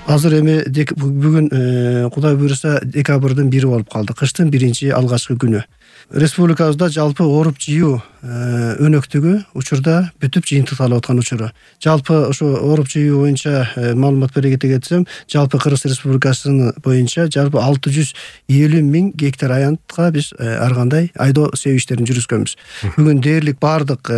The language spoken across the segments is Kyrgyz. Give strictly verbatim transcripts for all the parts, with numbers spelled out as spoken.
Азыр эми бүгүн Кудай буйруса декабрдын бiri болуп калды. Кыштын биринчи алгачкы күнү. Республикабызда жалпы ооруп жыйуу өнөктүгү учурда бүтүп жыйынтыкталып аткан учуру. Жалпы ошо ооруп жыйуу боюнча маалымат бере кетсем, жалпы Кыргыз Республикасынын боюнча жалпы алты жүз элүү миң гектар аянтка биз ар кандай айдоо себүү иштерин жүргүзгөнбүз. Бүгүн дээрлик баардык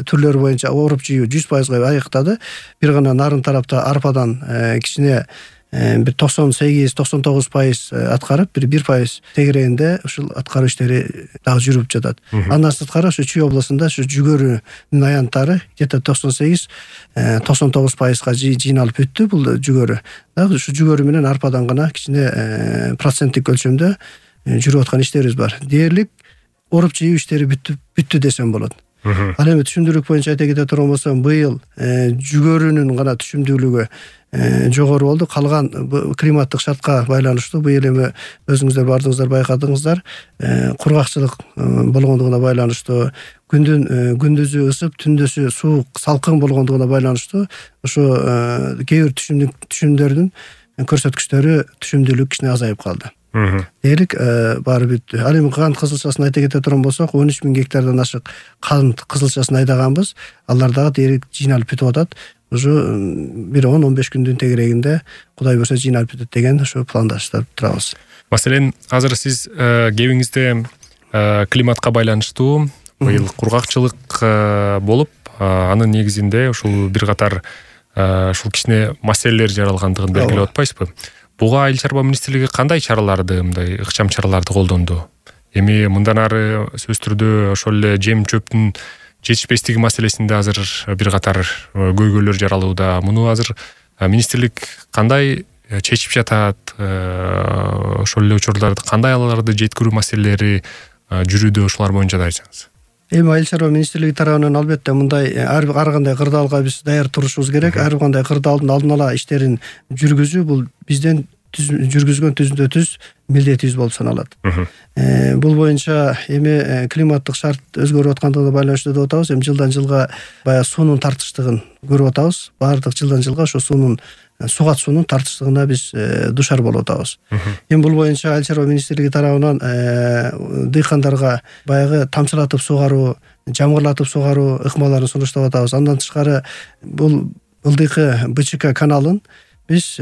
түрлөрү боюнча ооруп жыйуу жүз пайызга аныктады. Бир гана нарын тарапта арпадан кичине бир токсон сегиз токсон тогуз пайыз аткарып, бир бир пайыз тегерегинде ушул аткаруу иштери дагы жүрүп жатат. Андан сырткары ушу Чүй областында ушу жүгөрүнүн аянттары где-то токсон сегиз токсон тогуз пайызга жыйналып бүттү бул жүгөрү. Дагы ушу жүгөрү менен арпадан гана кичине проценттик өлчөмдө жүрүп аткан иштерибиз бар. Дээрлик ооруп жыйуу иштери бүттү бүттү десем болот. Ал эми түшүмдүүлүк боюнча айта кете турган болсом, быйыл жүгөрүнүн гана түшүмдүүлүгү жогору болду. Калган климаттык шартка байланыштуу быйыл эми өзүңүздөр бардыгыңыздар байкадыңыздар, кургакчылык болгондугуна байланыштуу, күндүн күндүзү ысып, түндөсү суук, салкын болгондугуна байланыштуу ошо кээ бир түшүмдөрдүн көрсөткүчтөрү түшүмдүүлүк кичине азайып калды. Дээрлик баары бүттү. Ал эми кант кызылчасын айта кете турган болсок, он үч миң гектардан ашык кант кызылчасын айдаганбыз. Алар дагы дээрлик жыйналып бүтүп атат. Уже бир он он беш күндүн тегерегинде Кудай буйруса жыйналып бүтөт деген ошо пландаштырып турабыз. Маселен, азыр сиз кебиңизде климатка байланыштуу быйыл кургакчылык болуп, анын негизинде ушул бир катар ушул кичине маселелер жаралгандыгын белгилеп атпайсызбы? Буга Айыл чарба министрлиги кандай чараларды, мындай ыкчам чараларды колдонду? Эми мындан ары сөзсүз түрдө ошол эле жем чөптүн жетишпестиги маселесинде азыр бир катар көйгөйлөр жаралууда. Муну азыр министрлик кандай чечип жатат? Ошол эле учурларды кандай аларды жеткирүү маселелери жүрүүдө, ошолар боюнча да айтсаңыз. Эми Айыл чарба министрлиги тарабынан албетте мындай ар кандай кырдаалга биз даяр турушубуз керек. Ар кандай кырдаалдын алдын ала иштерин жүргүзүү бул бизден жүргүзгөн түздө түз милдетибиз болуп саналат. Бул боюнча эми климаттык шарт өзгөрүп аткандыгына байланыштуу деп атабыз. Эми жылдан жылга баягы суунун тартыштыгын көрүп атабыз. Баардык жылдан жылга ошо суунун сугат суунун тартыштыгына биз душар болуп атабыз. Эми бул боюнча Айыл чарба министрлиги тарабынан дыйкандарга баягы тамчылатып сугаруу, жамгырлатып сугаруу ыкмаларын сунуштап атабыз. Андан тышкары бул ылдыйкы БЧК каналын биз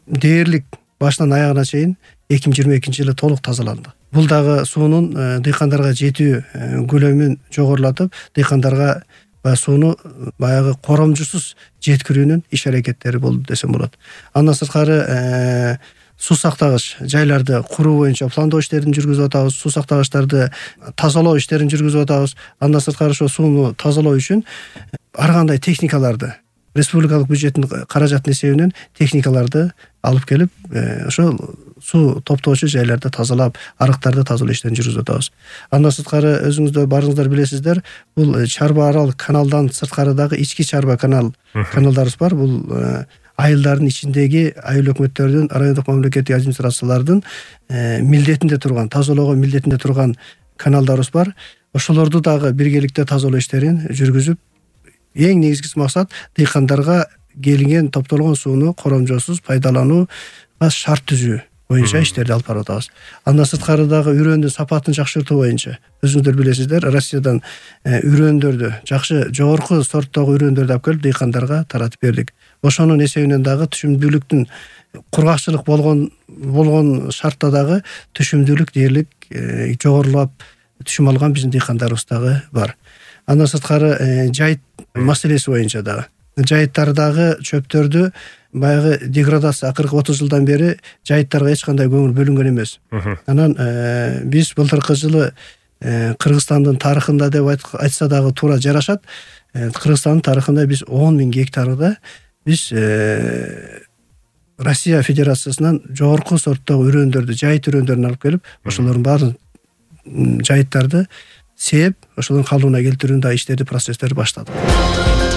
дээрлик башынан аягына чейин эки миң жыйырма экинчи жылы толук тазаланды. Бул дагы суунун дыйкандарга жетүү көлөмүн жогорулатып, дыйкандарга сууну баягы коромжусуз жеткирүүнүн иш аракеттери болду десем болот. Андан сырткары суу сактагыч жайларды куруу боюнча пландоо иштерин жүргүзүп атабыз, суу сактагычтарды тазалоо иштерин жүргүзүп атабыз. Андан сырткары ошо сууну тазалоо үчүн ар кандай техникаларды, республикалык бюджеттин каражатын эсебинен техникаларды алып келип, ошо суу топтоочу жайларды тазалап, арыктарды тазалоо иштерин жүргүзүп атабыз. Андан сырткары өзүңүздөр баарыңыздар билесиздер, бул Чарба Арал каналдан сырткары дагы ички Чарба канал каналдарыбыз бар. Бул айылдардын ичиндеги айыл өкмөттөрдүн, райондук мамлекеттик администрациялардын милдетинде турган, тазалоого милдетинде турган каналдарыбыз бар. Ошолорду дагы биргеликте тазалоо иштерин жүргүзүп, эң негизгиси максат дыйкандарга келинген топтолгон сууну коромжосуз пайдаланууга шарт түзүү боюнча иштерди алып барып атабыз. Андан сырткары дагы үрөндүн сапатын жакшыртуу боюнча өзүңүздөр билесиздер, Россиядан үрөндөрдү, жакшы жогорку сорттогу үрөндөрдү алып келип дыйкандарга таратып бердик. Ошонун эсебинен дагы түшүмдүүлүктүн кургакчылык болгон болгон шартта дагы түшүмдүүлүк дээрлик жогорулап түшүм алган биздин дыйкандарыбыз дагы бар. Андан сырткары жайыт маселеси боюнча дагы жайыттардагы чөптөрдү баягы деградация акыркы отуз жылдан бери жайыттарга эч кандай көңүл бөлүнгөн эмес. Анан биз былтыркы жылы Кыргызстандын тарыхында деп айтса дагы туура жарашат. Кыргызстандын тарыхында биз он миң гектарда биз Россия Федерациясынан жогорку сорттогу үрөндөрдү, жайыт үрөндөрүн алып келип, ошолордун баарын жайыттарды сээп, ошолордун калыбына келтирүүнү да иштерди, процесстерди баштадык.